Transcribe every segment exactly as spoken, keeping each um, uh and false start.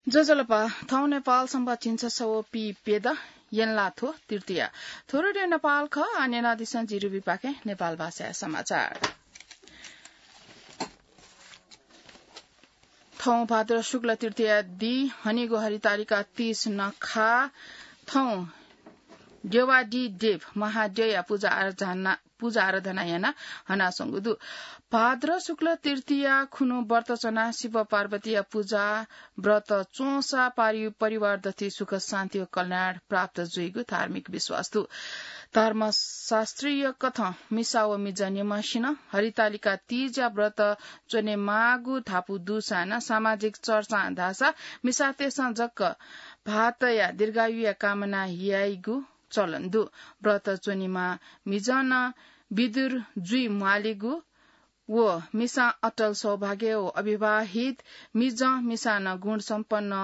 ज्वजलपा, थौं नेपाल संवत् झिंछसः व पीप्यदँ यंलाथ्व तृतीया। थ्व रेडियो नेपाल खः, आः न्यनादिसँ जि रुबिपाखें नेपाल भाषाया समाचार। थौं भाद्र शुक्ल तृतीया दी हनीगु हरितालिका तीज नखः थौं देवादिदेव महाद्यःया पूजा आराधना, पूजा आराधना यानाः हनाच्वंगु दु। भाद्र शुक्ल तृतीया खुन्हु व्रत च्वनाः शिव पार्वतीया पूजा व्रत च्वंसा पारि-, परिवार दथुइ सुख शान्ति व कल्याण प्राप्त जुइगु धार्मिक विश्वास दु। धर्मशास्त्रीय कथं मिसा व मिजं निम्हसिनं हरितालिका तीजया व्रत च्वनेमाःगु धापू दुसां नं सामाजिक चर्चां धाःसा मिसातय्‌सं जक भाःतया दीर्घायुया कामना याइगु चलन दु। व्रत च्वनीम्ह मिजं नं विदुर जुइ म्वालीगु व मिसां अटल सौभाग्य व अविवाहित मिजं मिसां नं गुणसम्पन्न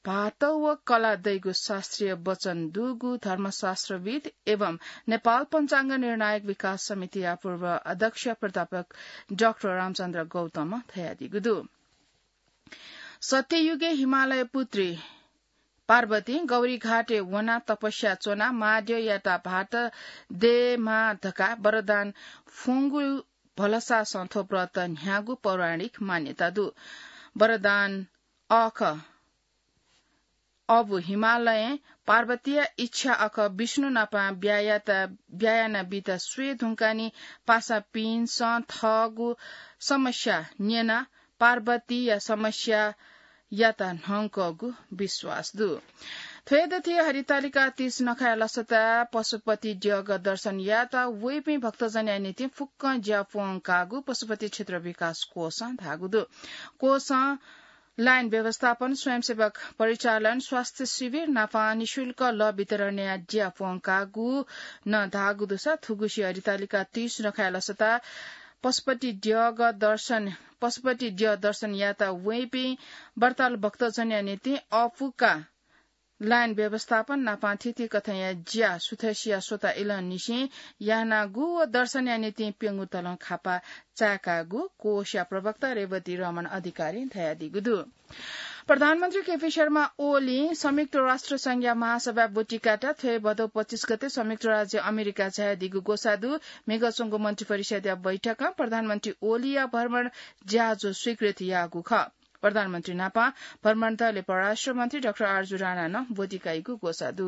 भाःत व कला दइगु शास्त्रीय वचन दुगु धर्मशास्त्रविद् एवं नेपाल पञ्चाङ्ग निर्णायक विकास समितिया पूर्व अध्यक्ष प्राध्यापक डाक्टर रामचन्द्र गौतमं धयादीगु दु। सत्ययुगय् हिमालय पुत्री पार्वतीं गौरीघाटय् वनाः तपस्या च्वनाः महाद्यःयात भाःत दयेमाः धकाः वरदान फ्वंगु भलसासं थ्व व्रत न्ह्याःगु पौराणिक मान्यता दु। वरदान अःख अबु हिमालयं पार्वतीया इच्छा अःख विष्णु नाप ब्याहा यात, ब्याहा यानाबीत स्वये धुंकाः नं पासापिन्सं थःगु समस्या न्यनाः पार्वतीया समस्या यात न्हंकःगु विश्वास दु। थ्व हे दथुइ हरितालिका तीज नखःया लसता पशुपति द्यःगः दर्शन यात वइपिं भक्तजनया निंतिं फुक्कं ज्या प्वंकाःगु पशुपति क्षेत्र विकास कोषं धाःगु दु। कोषं लाइन व्यवस्थापन, स्वयंसेवक परिचालन, स्वास्थ्य शिविर नाप निशुल्क लः वितरणया ज्या प्वंकाःगु नं धाःगु दुसा थुगुसी हरितालिका तीज नखःया लसता पशुपति द्यःगः दर्शन, पशुपति द्यः दर्शन यात वइपिं व्रतालु भक्तजनया निंतिं अःपुका लाइन व्यवस्थापन नाप थीथी कथंया ज्या सुथसिया स्वता इलंनिसें यानागु व दर्शनया निंतिं प्यंगू तलं खापा चाय्‌कागु कोषया प्रवक्ता रेवती रमण अधिकारीं धयादीगु दु। प्रधानमन्त्री केपी शर्मा ओलीं संयुक्त राष्ट्र संघया महासभा ब्वति कायेत थ्व हे भदौ पच्चिस गते संयुक्त राज्य अमेरिका झायादीगु ग्वसाः दु। म्हिगः च्वंगु मन्त्रिपरिषदया बैठकं प्रधानमन्त्री ओलीया भ्रमण ज्याझ्वः स्वीकृत याःगु खः। प्रधानमन्त्री नाप भ्रमण दलय् परराष्ट्र मन्त्री डाक्टर आरजु राणां नं ब्वति काइगु ग्वसाः दु।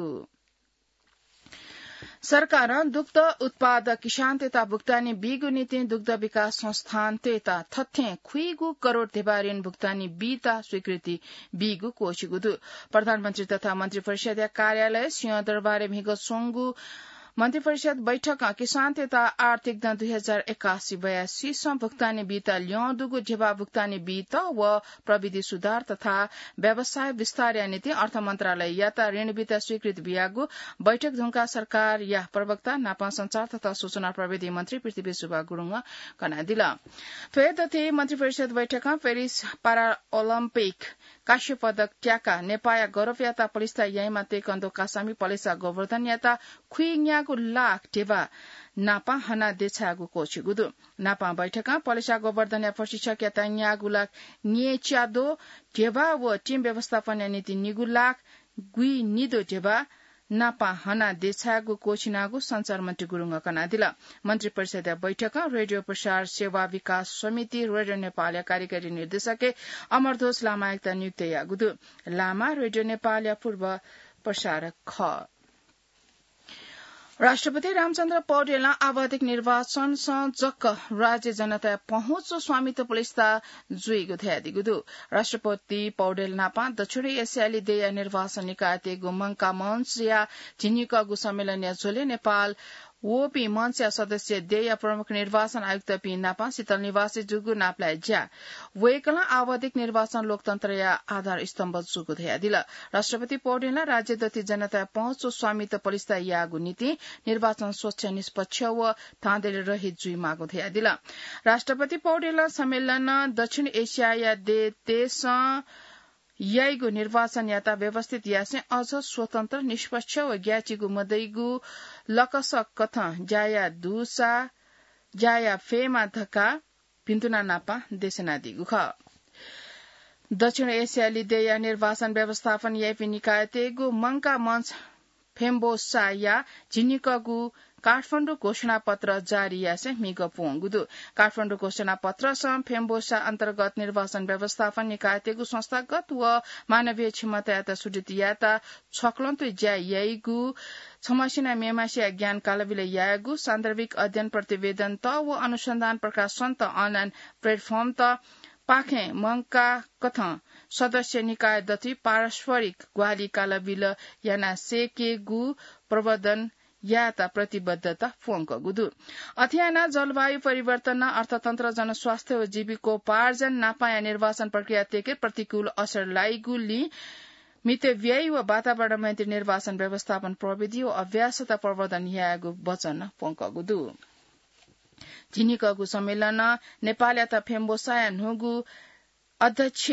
सरकारं दुग्ध उत्पादक किसानतय्‌त भुक्तानी बीगु निंतिं दुग्ध विकास संस्थानतय्‌त थथें खुइगू करोड ध्यबा ऋण भुक्तानी बीत स्वीकृति बीगु क्वःछिगु दु। प्रधानमन्त्री तथा मन्त्रिपरिषदया कार्यालय सिंहदरबारय् म्हिगः च्वंगु मन्त्रिपरिषद बैठकं किसानतय्‌त आर्थिक दँ दुई हजार एकासी बयासीसं भुक्तानी बीत ल्यं दुगु ध्यबा भुक्तानी बीत व प्रविधि सुधार तथा व्यवसाय विस्तारया निंतिं अर्थ मन्त्रालययात ऋण बीत स्वीकृति बियागु बैठक धुंकाः सरकारया प्रवक्ता नाप सञ्चार तथा सूचना प्रविधि मन्त्री पृथ्वी सुब्बा गुरुङं कनादिल। थ्व हे दथुइ मन्त्रिपरिषद बैठकं पेरिस पारा ओलम्पिक कांस्य पदक त्याकाः नेपाःया गौरवयात पलिस्था याइम्ह ताइक्वान्दो कासामि पलेसा गोवर्धनयात खुइन्यागू लाख ध्यबा नाप हनाः देछायेगु क्वःछिगु दु। नाप बैठकं पलेसा गोवर्धनया प्रशिक्षकयात न्यागू लाख न्येच्याद्वः ध्यबा व टिम व्यवस्थापनया निंतिं निगू लाख गुइनिद्वः ध्यबा नाप हनाः देछायेगु क्वःछिनागु सञ्चार मन्त्री गुरुङं कनादिल। मन्त्रिपरिषदया बैठकं रेडियो प्रसार सेवा विकास समिति, रेडियो नेपालया कार्यकारी निर्देशकय् अमरध्वज लामायात नियुक्त याःगु दु। लामा रेडियो नेपालया पूर्व प्रसारक खः। राष्ट्रपति रामचन्द्र पौडेलं आवधिक निर्वाचनसं जक राज्य जनताया पहुँच व स्वामित्व पलिस्था जुइगु धयादीगु दु। राष्ट्रपति पौडेल नाप दक्षिण एसियाली देय्‌या निर्वाचन निकायतय्‌गु मंकामञ्चया झिंनिकःगु सम्मेलनया झ्वलय् नेपाल वःपिं मञ्चया सदस्य देय्‌या प्रमुख निर्वाचन आयुक्तपिं नाप शीतल निवासय् जूगु नापलाये ज्या। वय्‌कलं आवधिक निर्वाचन लोकतन्त्रया आधार स्तम्भ जूगु धयादिल। राष्ट्रपति पौडेलं राज्य दथुइ जनताया पहुँच व स्वामित्व पलिस्था यायेगु निंतिं निर्वाचन स्वच्छ, निष्पक्ष व धाँधली रहित जुइमाःगु धयादिल। राष्ट्रपति पौडेलं सम्मेलनं दक्षिण एसियाया देय्‌तय्‌सं याइगु निर्वाचनयात व्यवस्थित यासें अझ स्वतन्त्र, निष्पक्ष व ग्याःचिगु मदइगु लकसक कथं ज्या याये दुसा ज्या याये फयेमा धकाः भिन्तुना नाप देछानादीगु खः। दक्षिण एसियाली देय्‌या निर्वाचन व्यवस्थापन याइपिं निकायतय्‌गु मंका मञ्च फेम्बोसाया झिंनिकःगु काठमाडौं घोषणापत्र जारी यासें म्हिगः प्वंगु दु। काठमाडौं घोषणापत्रसं फेम्बोसा अन्तर्गत निर्वाचन व्यवस्थापन निकायतय्‌गु संस्थागत व मानवीय क्षमतायात सुदृढ यायेत छक्वंतुइ ज्या याइगु, छम्हसिनं मेम्हसिया ज्ञान कालाबिल यायेगु, सान्दर्भिक अध्ययन प्रतिवेदनत व अनुसन्धान प्रकाशनत online platformत पाखें मंका कथं सदस्य निकाय दथुइ पारस्परिक ग्वाहालि कालाबिल याना सय्‌केगु प्रवर्धन यायेत प्रतिबद्धता प्वंकूगु दु। अथे यानाः जलवायु परिवर्तन, अर्थतन्त्र, जनस्वास्थ्य व जीविकोपार्जन नापांया निर्वाचन प्रक्रिया तय्‌के प्रतिकूल असर लाइगुलिं मितव्ययी व वातावरण मैत्री निर्वाचन व्यवस्थापन प्रविधि व अभ्यासत प्रवर्धन यायेगु वचन प्वंकूगु दु। झिंनिकःगु सम्मेलनं नेपालयात फेम्बोसाया न्हूगु अध्यक्ष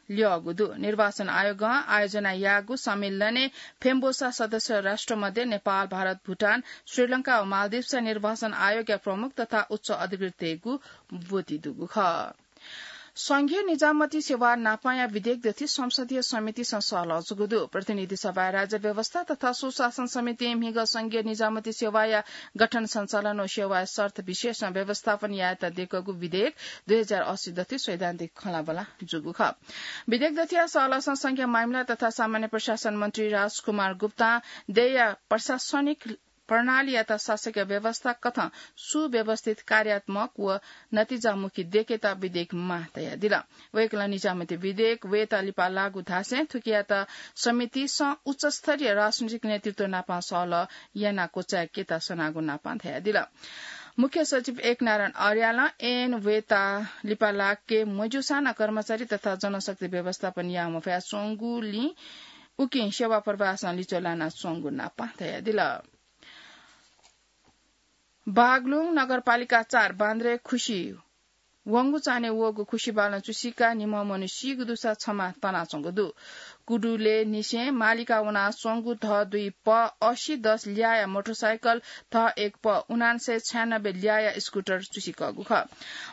ल्यःगु दु। निर्वाचन आयोगं आयोजना याःगु सम्मेलनय् फेम्बोसा सदस्य राष्ट्र मध्ये नेपाल, भारत, भुटान, श्रीलंका व मालदिप्सया निर्वाचन आयोगया प्रमुख तथा उच्च अधिकृतय्‌गु ब्वति दुगु खः। संघीय निजामती सेवा नापांया विधेयक दथुइ संसदीय समितिसं सहलह जूगु दु। प्रतिनिधि सभाय् राज्य व्यवस्था तथा सुशासन समितिं म्हिगः संघीय निजामती सेवाया गठन सञ्चालन व सेवाया शर्त विशेषं व्यवस्थापन यायेत दय्‌कूगु विधेयक दुई हजार अस्सी दथुइ सैद्धान्तिक खँल्हाबल्हा जूगु खः। विधेयक दथुया सहलहसं संघीय मामिला तथा सामान्य प्रशासन मन्त्री राजकुमार गुप्तां देय्‌या प्रशासनिक प्रणालीयात शासकीय व्यवस्था कथं सुव्यवस्थित, कार्यात्मक व नतिजामुखी दय्‌केत विधेयक माः धयादिल। वय्‌कलं निजामती विधेयक वयेत लिपा लागू धासें थुकियात समितिसं उच्चस्तरीय राजनीतिक नेतृत्व नापं सहलह यानाः क्वचाय्‌केत सनागु नापं धयादिल। मुख्य सचिव एकनारायण अर्यालं ऐन वयेत लिपा लाके मज्यूसां नं कर्मचारी तथा जनशक्ति व्यवस्थापन याये मफयाच्वंगुलिं उकिं सेवा प्रवाहसं लिच्वः लानाच्वंगु नापं धयादिल। बागलुङ नगरपालिका चार बान्द्रे खुसी वंगु चान्हय् वःगु खुसी बालं चुसिकाः निम्ह मनू सीगु दुसा छम्ह तनाच्वंगु दु। कुदुले निसें मालिका वनाच्वंगु ध दुई प असी दस ल्याःया मोटरसाइकल, ध एक प उनान्सय छयानब्बे ल्याःया स्कुटर चुसिकःगु खः।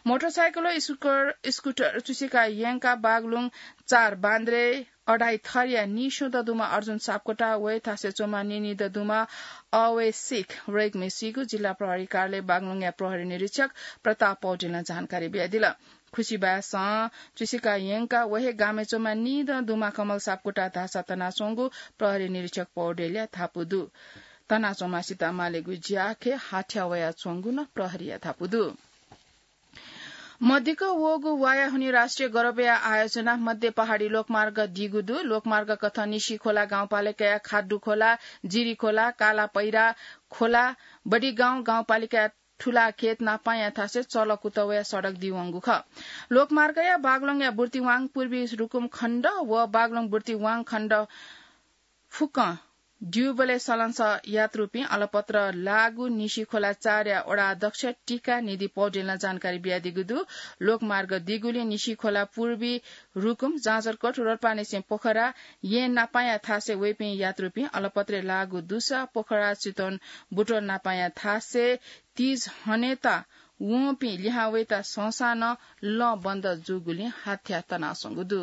मोटरसाइकल व स्कुटर, स्कुटर चुसिका यंकाः बागलुङ चार बान्द्रे अढाइ थरया नीस्वदँ दुम्ह अर्जुन सापकोटा, वय् थासय् च्वंम्ह नीनिदँ दुम्ह अवयसिक रय्‌कम्ह सीगु जिल्ला प्रहरी कार्यालय बागलुङया प्रहरी निरीक्षक प्रताप पौडेलं जानकारी बियादिल। खुसी बाय्‌सं चुसिका यंकाः व हे गामय् च्वंम्ह नीदँ दुम्ह कमल सापकोटा धाःसा तनाच्वंगु प्रहरी निरीक्षक पौडेलया धापू दु। तनाच्वंम्हसित मालेगु ज्याखँय् हाथ्या वयाच्वंगु नं प्रहरीया धापू दु। मदिक्क वःगु वाया हुनि राष्ट्रिय गरबया आयोजना मध्य पहाडी लोकमार्ग दीगु दु। लोकमार्ग कथं निसिखोला गाउँपालिकाया खाड्डुखोला, जिरीखोला, कालापैरा खोला, बडिगाउँ गाउँपालिकाया ठुलाखेत नापांया थासय् चलकुतवया सडक दीवंगु खः। लोकमार्गया बागलुङया बुर्तिवाङ पूर्वी रुकुम खण्ड व बागलुङ बुर्तिवाङ खण्ड फुक्कं द्यूबलय् सलंसः यात्रुपिं अलपत्र लाःगु निसिखोला चारया वडा अध्यक्ष टीका निधि पौडेलं जानकारी बियादीगु दु। लोकमार्ग दीगुलिं निसिखोला पूर्वी रुकुम, जाजरकोट, रोल्पानिसें पोखरा येँ नापांया थासय् वइपिं यात्रुपिं अलपत्रय् लाःगु दुसा पोखरा चितवन बुटवल नापांया थासय् तीज हनेत वंपिं लिहां वयेत संसां नं लँ बन्द जूगुलिं हाथ्या तनाच्वंगु दु।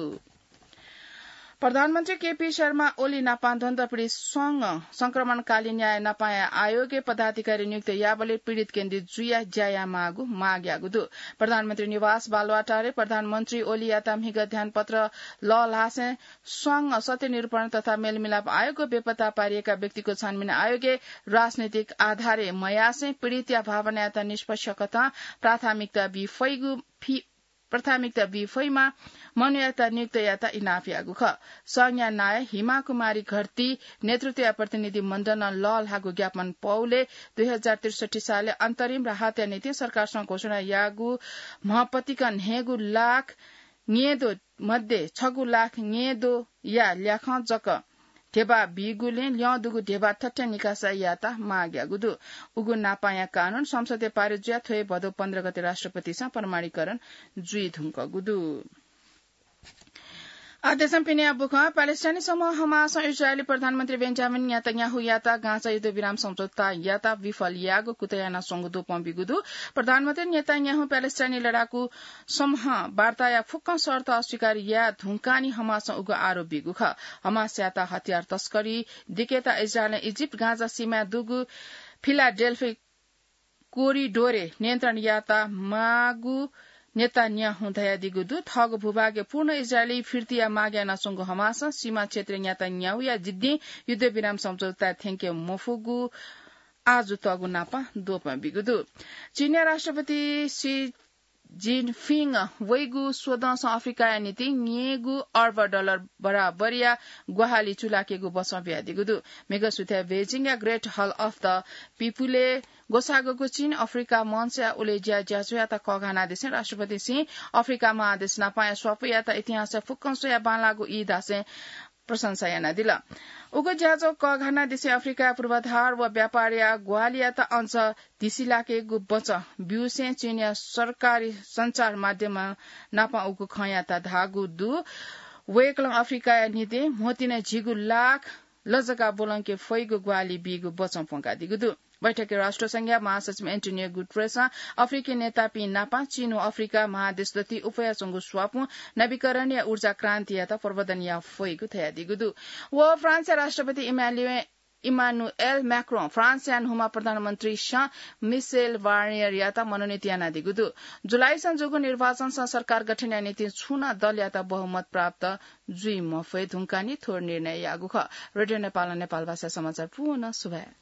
प्रधानमन्त्री केपी शर्मा ओली नापं दण्डपीडित स्वंगः संक्रमणकालीन न्याय नापांया आयोगय् पदाधिकारी नियुक्त याःबलय् पीडित केन्द्रित जुयाः ज्या यायेमाःगु माग याःगु दु। प्रधानमन्त्री निवास बालुवाटारय् प्रधानमन्त्री ओलीयात म्हिगः ध्यानपत्र लःल्हासें स्वंगः सत्य निरूपण तथा मेलमिलाप आयोग व बेपत्ता पारिएका व्यक्तिको छानबिन आयोगय् राजनैतिक आधारय् मयासें पीडितया भावनायात निष्पक्ष कथं प्राथमिकता बी फइगु फि-, प्राथमिकता बी फइमा मनूयात नियुक्त यायेत इनाप याःगु खः। संघया नायः हिमा कुमारी घरती नेतृत्वया प्रतिनिधि मण्डलं लःल्हाःगु ज्ञापन पौलय् दुई हजार त्रिसठी सालय् अन्तरिम राहतया निंतिं सरकारसं घोषणा याःगु म्हपतिकं न्हय्गू लाख न्येदँ मध्ये छगू लाख न्येदँया ल्याखं जक ध्यबा बीगुलिं ल्यं दुगु ध्यबा थथे निकासा यायेत माग याःगु दु। उगु नापांया कानून संसदय् पारित जुयाः थ्व हे भदौ पन्ध्र गते राष्ट्रपतिसं प्रमाणीकरण जुइधुंकूगु दु। आदेशं पिने बुखं प्यालेस्टाइनी समूह हमासं इजरायली प्रधानमन्त्री बेन्जामिन नेतान्याहुयात गाजा युद्धविराम सम्झौतायात विफल याःगु कुतः यानाच्वंगु द्वपं बीगु दु। प्रधानमन्त्री नेतान्याहु प्यालेस्टाइनी लडाकु समूह वार्ताया फुक्क शर्त अस्वीकार याये धुंकानि हमासं उगु आरोप बीगु खः। हमासयात हतियार तस्करी दिकेत इजरायलं इजिप्ट गाजा सीमाय् दुगु फिलाडेल्फी कोरिडोरय् नियन्त्रण यायेत माःगु नेतान्याहुं धयादीगु दु। थःगु भूभागय् पूर्ण इजरायली फिर्तीया माग यानाच्वंगु हमासं सीमा क्षेत्रय् नेतान्याहुया जिद्दिं युद्धविराम सम्झौताय् थ्यंके मफुगु आजु तःगु नापं द्वपं बीगु दु। चीनया राष्ट्रपति सी जिनपिङ वइगु स्वदँसं अफ्रिकाया निंतिं न्यय्गू अर्ब डलर बराबरया ग्वाहालि चूलाकेगु बचं बियादीगु दु। म्हिगः सुथय् बेजिङया ग्रेट हल अफ द पिपुलय् ग्वसाःगु चीन अफ्रिका मञ्चया उलेज्या ज्याझ्वःयात कःघानादिसें राष्ट्रपतिं अफ्रिका महादेश नापंया स्वापूयात इतिहासय् फुक्कं स्वयाः बांलाःगु ई धासें प्रशंसा यानादिल। उगु ज्याझ्वः कःघानादिसें अफ्रिकाया पूर्वाधार व व्यापारया ग्वाहालियात अझ धिसिलाकेगु बचं ब्यूसें चीनया सरकारी सञ्चार माध्यम नापं उगु खँयात धाःगु दु। वय्कलं अफ्रिकाया निंतिं म्होतिं झिगू लाख लजगाः ब्वलंके फइगु ग्वाहालि बीगु बचं प्वंकादीगु दु। बैठकय् राष्ट्र संघया महासचिव एन्टोनियो गुटरेसं अफ्रिकी नेतापिं नापं चीन व अफ्रिका महादेश दथुइ उफयाच्वंगु स्वापूं नवीकरणीय ऊर्जा क्रान्तियात प्रवर्धन याये फइगु धयादीगु दु। व फ्रान्सया राष्ट्रपति इमानुए-, इमानुएल म्याक्रों, फ्रान्सया न्हूम्ह प्रधानमन्त्री सँ मिसेल बार्नियरयात मनोनीत यानादीगु दु। जुलाईसं जूगु निर्वाचनसं सरकार गठनया निंतिं छुं नं दलयात बहुमत प्राप्त जुइ मफये धुंकानि थ्व निर्णय याःगु खः। रेडियो नेपालं नेपाल भाषा समाचार पूवं सुभाय्।